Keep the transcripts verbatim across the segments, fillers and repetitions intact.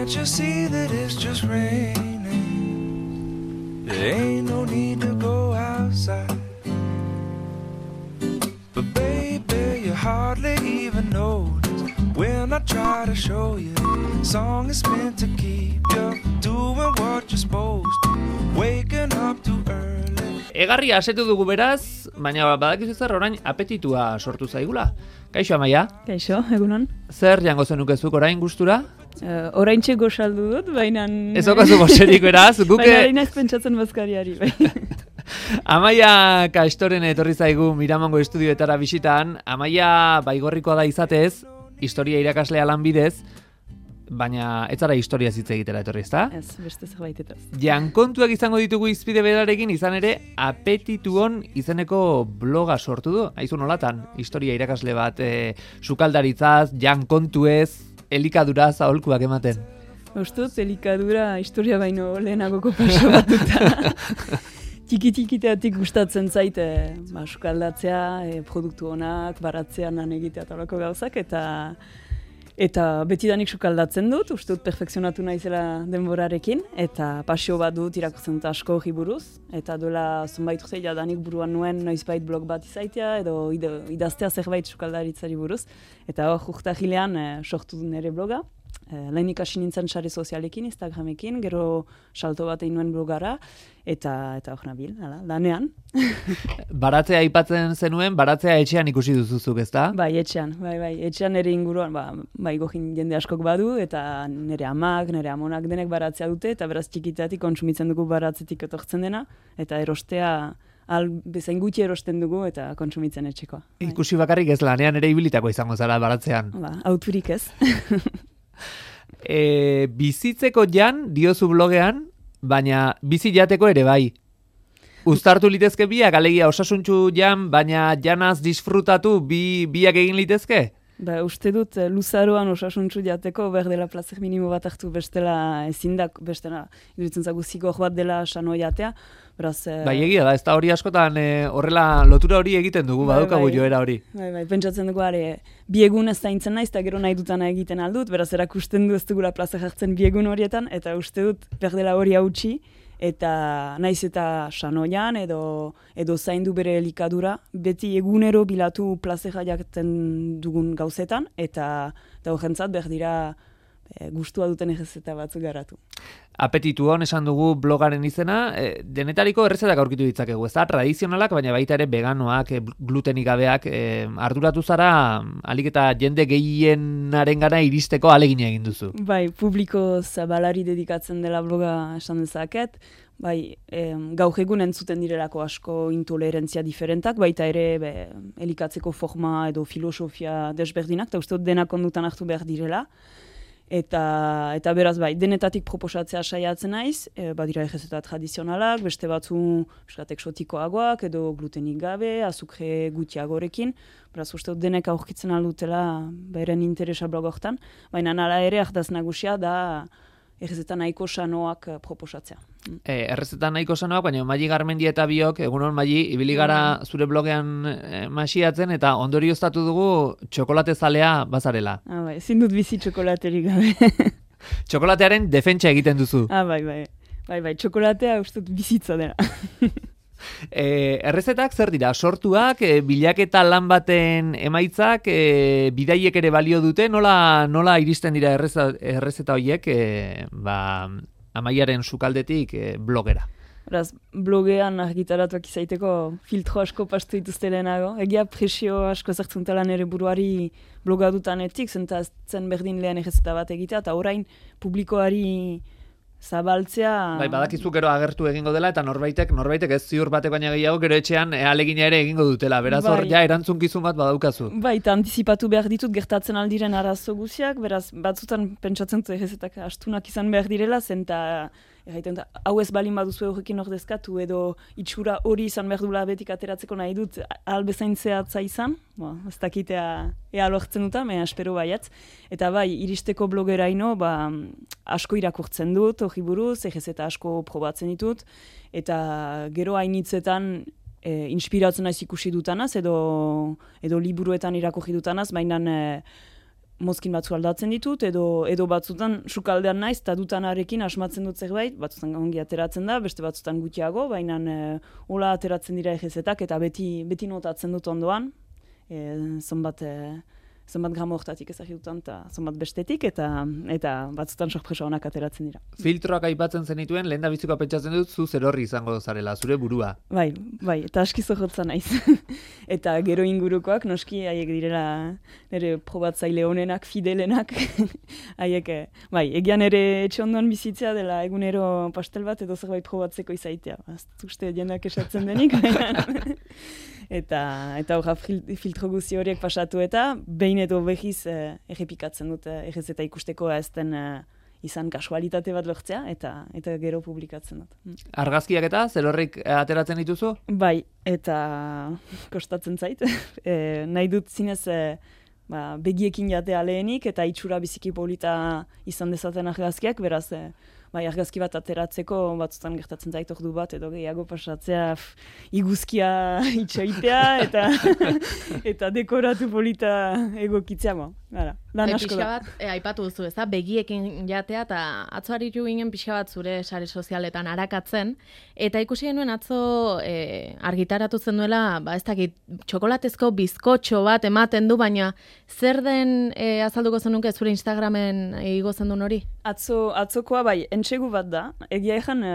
Can't you see that it's just raining? There ain't no need to go outside. But baby, you hardly even notice when I try to show you. Song is meant to keep you doing what you're supposed to. Waking up too early. Egarria asetu dugu beraz, baina badakizu zer orain apetitua sortu zaigula. Kaixo Amaia? Kaixo, egunon. Zer jango zenukezuk orain gustura? Uh, oraintxe gosaldu dut, baina... Ez okazu goserik beraz, guke... Baina hain ez pentsatzen bazkariari, bai. Amaia Kastoren etorri zaigu Miramongo estudioetara bisitan. Amaia baigorrikoa da izatez, historia irakaslea lanbidez, baina ez zara historia hitz egitera etorri, ezta? Ez, beste zerbaitetaz. Jankontuak izango ditugu izpide berarekin, izan ere Apetituon izeneko bloga sortu du. Aizu nolatan, historia irakasle bat, e, sukaldaritzaz, jankontuez, elikaduraz aholkuak ematen. Ustut, elikadura historia baino lehenagoko paso batuta. Tiki-tikiteatik gustatzen zait, e, ba, sukaldatzea, e, produktu onak, baratzea, lan egitea talako gauzak, eta Eta betidanik sukaldatzen dut, uste dut perfekzionatu naizela denborarekin, eta pasio bat dut irakurtzen dut asko hori buruz, eta duela zonbait urte jadanik buruan nuen noizbait blog bat izaitea, edo idaztea zerbait sukaldaritzari buruz, eta hor urtahilean e, sortu nire bloga. E, lehen ikasi nintzen sare sozialekin, Instagramekin, gero salto bat egin nuen blogara, eta eta hor nabil, hala, lanean. Baratzea aipatzen zenuen, baratzea etxean ikusi duzuzuk, ezta? Bai, etxean, bai, bai, etxean nire inguruan, ba, bai gojin jende askok badu, eta nire amak, nire amonak denek baratzea dute, eta beraz txikitatik kontsumitzen dugu baratzetik etortzen dena, eta erostea al bezain gutxi erosten dugu eta kontsumitzen etxekoa. Bai. Ikusi bakarrik ez lanean ere ibilitako izango zara baratzean. Ba, auturik ez. e, bizitzeko jan diozu blogean, baina bizi jateko ere bai. Uztartu litezke biak, alegia osasuntxu jan, baina janaz disfrutatu bi, biak egin litezke? Ba, uste dut, luzaroan osasuntxu jateko behar dela plazer minimo bat hartu bestela ezindak, bestela, iduritzen zagu zigor bat dela sano jatea. Beraz, e... Bai, egia da, ez da hori askotan e, horrela lotura hori egiten dugu, bai, badukagu bai, joera hori. Bai, bai, pentsatzen dugu, are, biegun ez zaintzen naiz, eta gero nahi dutana egiten aldut, beraz, erakusten du ez dugula plazer hartzen biegun horietan, eta uste dut, behar dela hori hautsi, eta naiz eta sanoian edo edo zaindu bere elikadura, beti egunero bilatu plazera jakten dugun gauzetan, eta eta horrentzat behar dira e, gustua duten errezeta batzuk garatu. Apetituon esan dugu blogaren izena, e, denetariko errezetak aurkitu ditzakegu, ez da? Tradizionalak, baina baita ere veganoak, e, glutenik gabeak, e, arduratu zara alik eta jende gehienaren gana iristeko alegina egin duzu. Bai, publiko zabalari dedikatzen dela bloga esan dezaket, bai, em, gaur egun entzuten direlako asko intolerantzia diferentak, baita ere be, elikatzeko forma edo filosofia desberdinak, eta uste dut denak ondutan hartu behar direla. Eta, eta beraz bai, denetatik proposatzea saiatzen naiz, e, badira errezeta tradizionalak, beste batzu eskat eksotikoagoak edo glutenik gabe, azukre gutxiagorekin, beraz uste dut denek aurkitzen aldutela beren interesa blogortan, baina nala ere ardaz nagusia da errezeta nahiko sanoak proposatzea. E, errezeta nahiko sanoak, baina Maili Garmendi eta biok, egunon Maili, ibili gara zure blogean e, masiatzen, eta ondorioztatu dugu txokolate zalea bazarela. Ah, bai, ezin dut bizi txokolaterik gabe. Txokolatearen defentsa egiten duzu. Ah, bai, bai, bai, bai, txokolatea uste dut bizitza dela. E, errezetak zer dira? Sortuak, e, bilaketa lan baten emaitzak, e, bidaiek ere balio dute, nola, nola iristen dira errezeta, errezeta horiek, e, ba, Amaiaren sukaldetik e, blogera? Beraz, blogean argitaratuak izaiteko filtro asko pastu dituzte lehenago. Egia presio asko zertzuntela nire buruari bloga dutanetik, zen berdin lehen errezeta bat egitea, eta orain publikoari zabaltzea... Bai, badakizu gero agertu egingo dela, eta norbaitek, norbaitek ez ziur batek baina gehiago, gero etxean e, alegina ere egingo dutela. Beraz, hor, bai, ja, erantzunkizun bat badaukazu. Bai, eta antizipatu behar ditut gertatzen aldiren arazo guziak, beraz, batzutan pentsatzen dut errezetak astunak izan behar direla, zen eta erraiten, hau ez balin baduzu horrekin ordezkatu, edo itxura hori izan behar dula betik ateratzeko nahi dut, albezain zehatza izan, bo, ez dakitea ea lortzen duta, mea espero baiatz. Eta bai, iristeko blogeraino, ba, asko irakurtzen dut, hori buruz, errezeta asko probatzen ditut, eta gero hainitzetan e, inspiratzen naiz ikusi dutanaz, edo, edo liburuetan irakurri dutanaz, baina e, mozkin batzu aldatzen ditut, edo edo batzutan sukaldean naiz, eta dutanarekin asmatzen dut zerbait, batzutan ongi ateratzen da, beste batzutan gutxiago, baina e, hola ateratzen dira egezetak, eta beti, beti notatzen dut ondoan, e, zonbat, e, zonbat gramo hortatik ezagututan, eta zonbat bestetik, eta eta batzutan sorpresa onak ateratzen dira. Filtroak aipatzen zenituen, lehen da bizikoa pentsatzen dut, zu zerorri izango zarela, zure burua. Bai, bai, eta aski zorrotza naiz. Eta gero ingurukoak, noski, haiek direla nire probatzaile honenak, fidelenak, haiek, bai, egian ere etxe ondoan bizitzea dela egunero pastel bat edo zerbait probatzeko izaitea. Ez uste jendak esatzen denik, baina... Eta, eta horra filtro guzti horiek pasatu eta behin edo behiz eh, errepikatzen dut eh, errezeta ikusteko ez den eh, izan kasualitate bat lortzea eta eta gero publikatzen dut. Argazkiak eta zerorrik ateratzen dituzu? Bai, eta kostatzen zait. e, nahi dut zinez e, ba, begiekin jatea lehenik eta itxura biziki polita izan dezaten argazkiak, beraz e, bai, argazki bat ateratzeko batzutan gertatzen zait ordu bat edo gehiago pasatzea f, iguzkia itxoitea eta eta dekoratu polita egokitzea. Gara, lan asko da. Bat, e, aipatu duzu, ez da, begiekin jatea eta atzo aritu ginen pixka bat zure sare sozialetan arakatzen, eta ikusi genuen atzo e, argitaratu zen duela, ba, ez dakit, txokolatezko bizkotxo bat ematen du, baina zer den e, azalduko zenuke zure Instagramen igo zen duen hori? Atzo, atzokoa bai, entsegu bat da, egia egan e,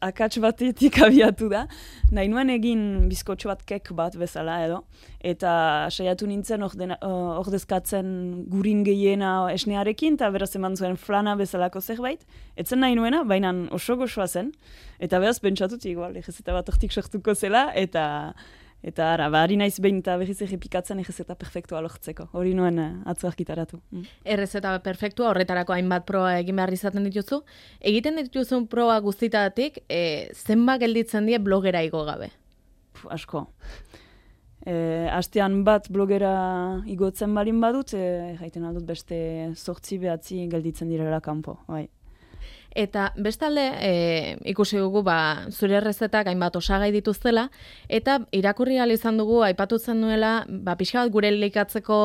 akats batetik abiatu da, nahi nuen egin bizkotxo bat kek bat bezala edo, eta saiatu nintzen ordezkatzen gurin gehiena esnearekin, eta beraz eman zuen flana bezalako zerbait. Etzen nahi nuena, baina oso gozoa zen. Eta beraz, pentsatut, igual, egezeta bat hortik sortuko zela, eta eta ara, bari naiz behin eta berriz errepikatzen egezeta perfektua lortzeko. Hori nuen atzo argitaratu. Mm. Errezeta perfektua, horretarako hainbat proa egin behar izaten dituzu. Egiten dituzun proa guztitatik, e, zenba gelditzen die blogera igo gabe? Puh, asko. E, astean bat blogera igotzen balin badut, e, jaiten aldut beste zortzi behatzi gelditzen direla kanpo. Bai. Eta bestalde, e, ikusi dugu ba, zure errezetak hainbat osagai dituztela, eta irakurri ahal izan dugu, aipatu zen duela, ba, pixka bat gure elikatzeko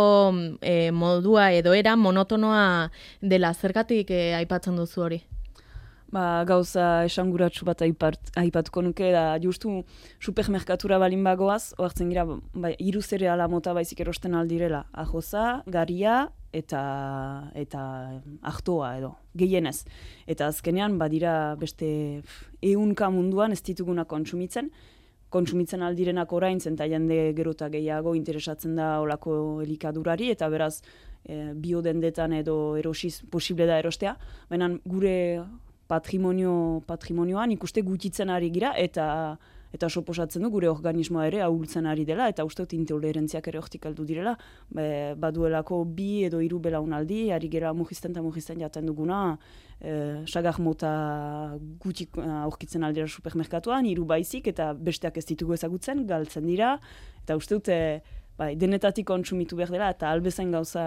e, modua edo era monotonoa dela, zergatik e, aipatzen duzu hori? Ba, gauza esanguratsu bat aipat, aipatuko nuke, da justu supermerkatura balin bagoaz, oartzen gira, ba, hiru zereala mota baizik erosten aldirela, ajoza, garia, eta eta artoa edo, gehienez. Eta azkenean, badira beste ehunka munduan ez dituguna kontsumitzen, kontsumitzen aldirenak oraintzen eta jende gerota gehiago interesatzen da olako elikadurari, eta beraz, e, biodendetan edo erosiz posible da erostea, baina gure patrimonio patrimonioan ikuste gutxitzen ari gira eta eta soposatzen du gure organismoa ere ahultzen ari dela eta uste dut intolerantziak ere hortik heldu direla, Be, baduelako bi edo hiru belaunaldi ari gera mugisten eta mugisten jaten duguna, e, sagar mota gutxik aurkitzen aldera supermerkatuan, hiru baizik eta besteak ez ditugu ezagutzen, galtzen dira eta uste dut e, bai, denetatik kontsumitu behar dela eta albezain gauza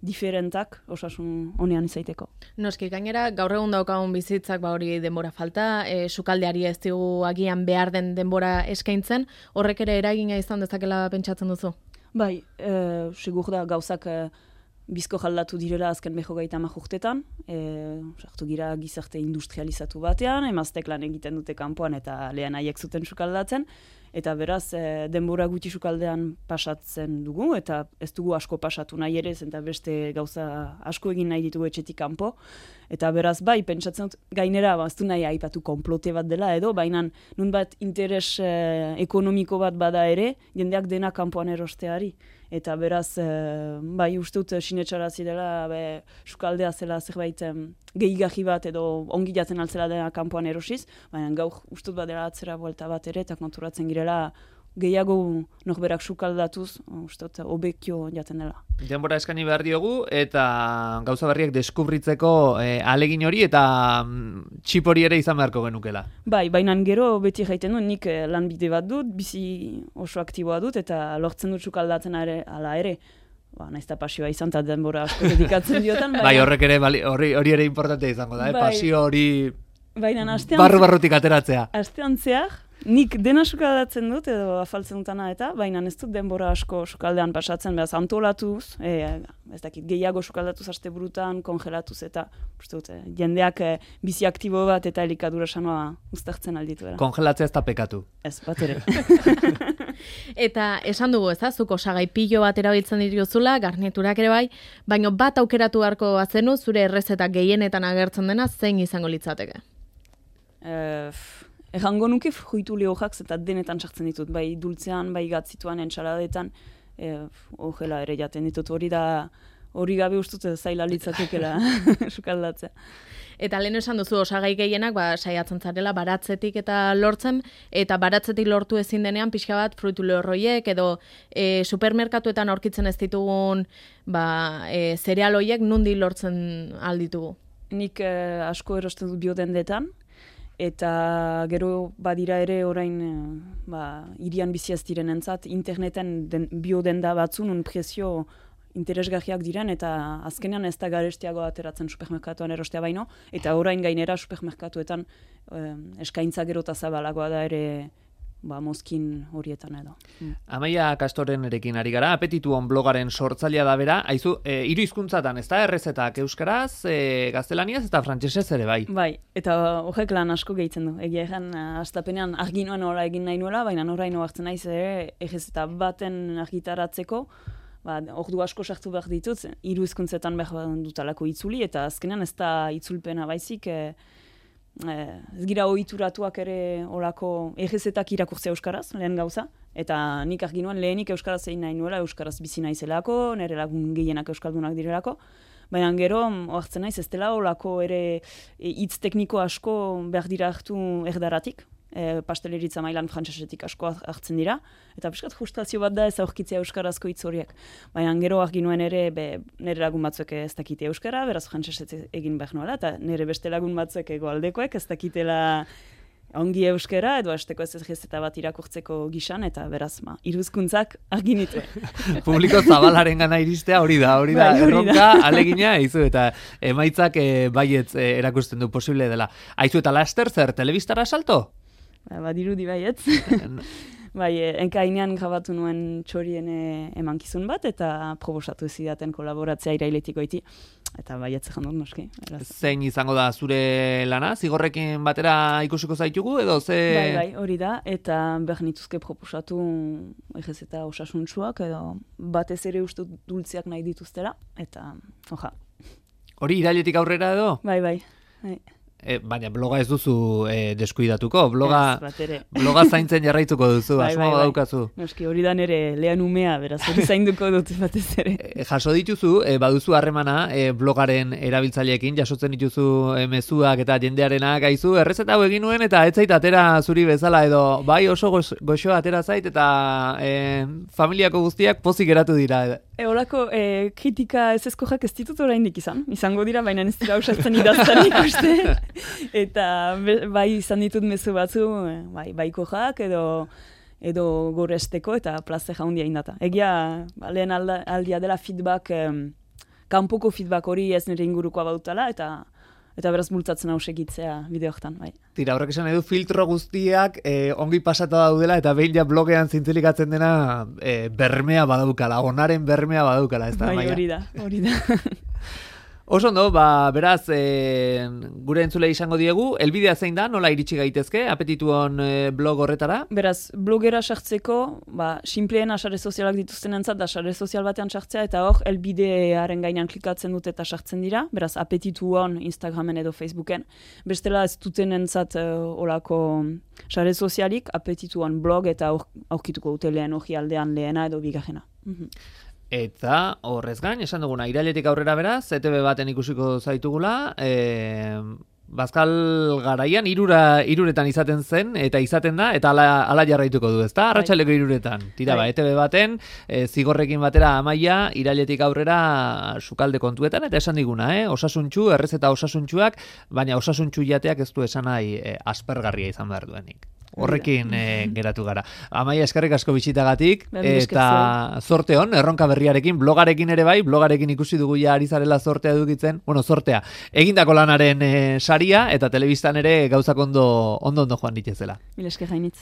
diferentak osasun honean izaiteko. Noski, gainera, gaur egun daukagun bizitzak ba hori denbora falta, e, sukaldeari ez digu agian behar den denbora eskaintzen, horrek ere eragina izan dezakela pentsatzen duzu? Bai, e, segur da gauzak e, bizko jaldatu direla azken beho gaita urtetan, e, sartu gira gizarte industrializatu batean, emaztek lan egiten dute kanpoan eta lehen haiek zuten sukaldatzen, eta beraz, e, denbora gutxi sukaldean pasatzen dugu, eta ez dugu asko pasatu nahi ere, eta beste gauza asko egin nahi ditugu etxetik kanpo. Eta beraz, bai, pentsatzen dut, gainera, ba, ez du nahi aipatu konplote bat dela edo, baina nun bat interes e, ekonomiko bat bada ere, jendeak dena kanpoan erosteari. Eta beraz, e, bai, uste dut sinetxarazi dela, be, sukaldea zela zerbait gehigarri bat edo ongi jaten altzela dena kanpoan erosiz, baina gaur uste dut badela atzera buelta bat ere, eta konturatzen girela gehiago norberak sukaldatuz, uste dut obekio jaten dela. Denbora eskaini behar diogu, eta gauza berriak deskubritzeko eh, alegin hori, eta mm, txip hori ere izan beharko genukela. Bai, baina gero beti jaiten dut, nik eh, lanbide bat dut, bizi oso aktiboa dut, eta lortzen dut sukaldatzen ere, ala ere, ba, naizta pasioa izan, eta denbora asko dedikatzen diotan. Bai, horrek ere, hori, hori ere importante izango da, eh? Bai. Pasio hori baina, barru-barrutik ateratzea. Astean zehar, Nik dena sukaldatzen dut, edo afaltzen dutana eta, baina ez dut denbora asko sukaldean pasatzen, behaz antolatuz, e, ez dakit, gehiago sukaldatuz asteburutan, kongelatuz eta, uste dut, jendeak e, bizi aktibo bat eta elikadura sanoa uztartzen alditu. Kongelatzea ez da pekatu. Ez, bat ere. Eta esan dugu, ez da, zuko osagai pilo bat erabiltzen dituzula, garniturak ere bai, baina bat aukeratu beharko bazenu, zure errezeta gehienetan agertzen dena, zein izango litzateke? Uh, Egango nuke fruitu lehojak eta denetan sartzen ditut, bai dultzean, bai gatzituan, entxaladetan, eh, ogela ere jaten ditut, hori da, hori gabe ustut zaila litzatekela sukaldatzea. Eta lehen esan duzu osagai gehienak ba, saiatzen zarela baratzetik eta lortzen, eta baratzetik lortu ezin denean pixka bat fruitu lehorroiek, edo e, supermerkatuetan aurkitzen ez ditugun ba, e, zereal horiek nundi lortzen alditugu? Nik eh, asko erosten dut biodendetan, eta gero badira ere orain ba, irian bizi ez direnentzat interneten den, biodenda batzu nun prezio interesgarriak diren eta azkenean ez da garestiago ateratzen supermerkatuan erostea baino, eta orain gainera supermerkatuetan eh, eskaintza gero eta zabalagoa da ere ba, mozkin horietan edo. Mm. Amaia Kastorenerekin ari gara, Apetituon blogaren sortzailea da bera, haizu, e, hiru hizkuntzatan, ez da, errezetak euskaraz, e, gaztelaniaz eta frantsesez ere bai. Bai, eta horrek lan asko gehitzen du. Egia egan, astapenean argi noan hola egin nahi nuela, baina oraino hartzen naiz ere, errezeta baten argitaratzeko, ba, ordu asko sartu behar ditut, hiru hizkuntzetan behar dutalako itzuli, eta azkenean ez da itzulpena baizik, e, Eh, ez gira ohituratuak ere olako errezetak irakurtzea euskaraz, lehen gauza, eta nik argi nuen lehenik euskaraz egin nahi nuela, euskaraz bizi naizelako, nire lagun gehienak euskaldunak direlako, baina gero ohartzen naiz ez dela olako ere hitz tekniko asko behar dira hartu erdaratik, e, pasteleritza mailan frantsesetik asko hartzen dira, eta piskat frustrazio bat da ez aurkitzea euskarazko hitz horiek. Baina gero argi nuen ere be, nire lagun batzuek ez dakite euskara, beraz frantsesez egin behar nuela, eta nire beste lagun batzuek egoaldekoek ez dakitela ongi euskara, edo hasteko ez errezeta bat irakurtzeko gisan, eta beraz, ma, iruzkuntzak argi nituen. Publiko zabalaren gana iristea hori da, hori da, bai, erronka, alegina, aizu, eta emaitzak e, baietz e, erakusten du posible dela. Aizu, eta laster zer, telebistara salto? Ba, badirudi baietz. Bai, enkainean grabatu nuen txorien emankizun bat, eta proposatu zidaten kolaboratzea irailetik goiti. Eta baietz egin dut noski. Eraz. Zein izango da zure lana? Zigorrekin batera ikusiko zaitugu, edo ze... Bai, bai, hori da, eta behar nituzke proposatu egez eta osasuntsuak, edo batez ere uste dultziak nahi dituztela, eta oja. Hori irailetik aurrera edo? Bai, bai, bai. E, baina bloga ez duzu e, deskuidatuko, bloga, ez, bloga zaintzen jarraituko duzu, bai, asmo bai, bai. daukazu. Noski, hori da nere lehan umea, beraz, hori zainduko dut batez ere. E, jaso dituzu, e, baduzu harremana e, blogaren erabiltzaileekin, jasotzen dituzu e, mezuak eta jendearena gaizu, errezeta hau egin nuen eta ez zait atera zuri bezala, edo bai oso goxoa atera zait eta e, familiako guztiak pozik geratu dira. E, Olako e, kritika ez ezkojak ez ditut oraindik izan, izango dira, baina ez dira usatzen idazten ikuste. Eta bai izan ditut mezu batzu, bai, baikojak edo edo goresteko eta plaze jaundia indata. Egia, ba, lehen alda, aldia dela feedback, em, kanpoko feedback hori ez nire ingurukoa bautala, eta eta beraz bultzatzen hau segitzea bideoetan, bai. Tira, horrek esan edu filtro guztiak eh, ongi pasata daudela eta behin ja blogean zintzilikatzen dena eh, bermea badaukala, onaren bermea badaukala, ez da, bai, Maia? hori da, hori da. Oso ondo, ba, beraz, e, gure entzulei izango diegu, elbidea zein da, nola iritsi gaitezke, Apetituon e, blog horretara? Beraz, blogera sartzeko, ba, simpleena sare sozialak dituzten entzat, da sare sozial batean sartzea, eta hor, elbidearen gainean klikatzen dut eta sartzen dira, beraz, Apetituon Instagramen edo Facebooken. Bestela ez duten entzat uh, olako sare sozialik, Apetituon blog eta aurkituko dute lehen hori aldean lehena edo bigarrena. Mhm. Eta horrez gain, esan duguna, irailetik aurrera beraz, E T B baten ikusiko zaitugula, e, Bazkal garaian irura, iruretan izaten zen, eta izaten da, eta ala, ala jarraituko du, ezta? Arratsaleko iruretan. Tira, ba, E T B baten, e, zigorrekin batera Amaia, irailetik aurrera sukalde kontuetan, eta esan diguna, eh? Osasuntxu, errezeta osasuntxuak, baina osasuntxu jateak ez du esan nahi e, aspergarria izan behar duenik. Horrekin e, geratu gara. Amaia, eskerrik asko bisitagatik, eta zorte hon, erronka berriarekin, blogarekin ere bai, blogarekin ikusi dugu ja ari zarela zortea edukitzen, bueno, zortea, egindako lanaren e, saria, eta telebistan ere gauzak ondo ondo ondo joan ditezela. Mil esker gainitz.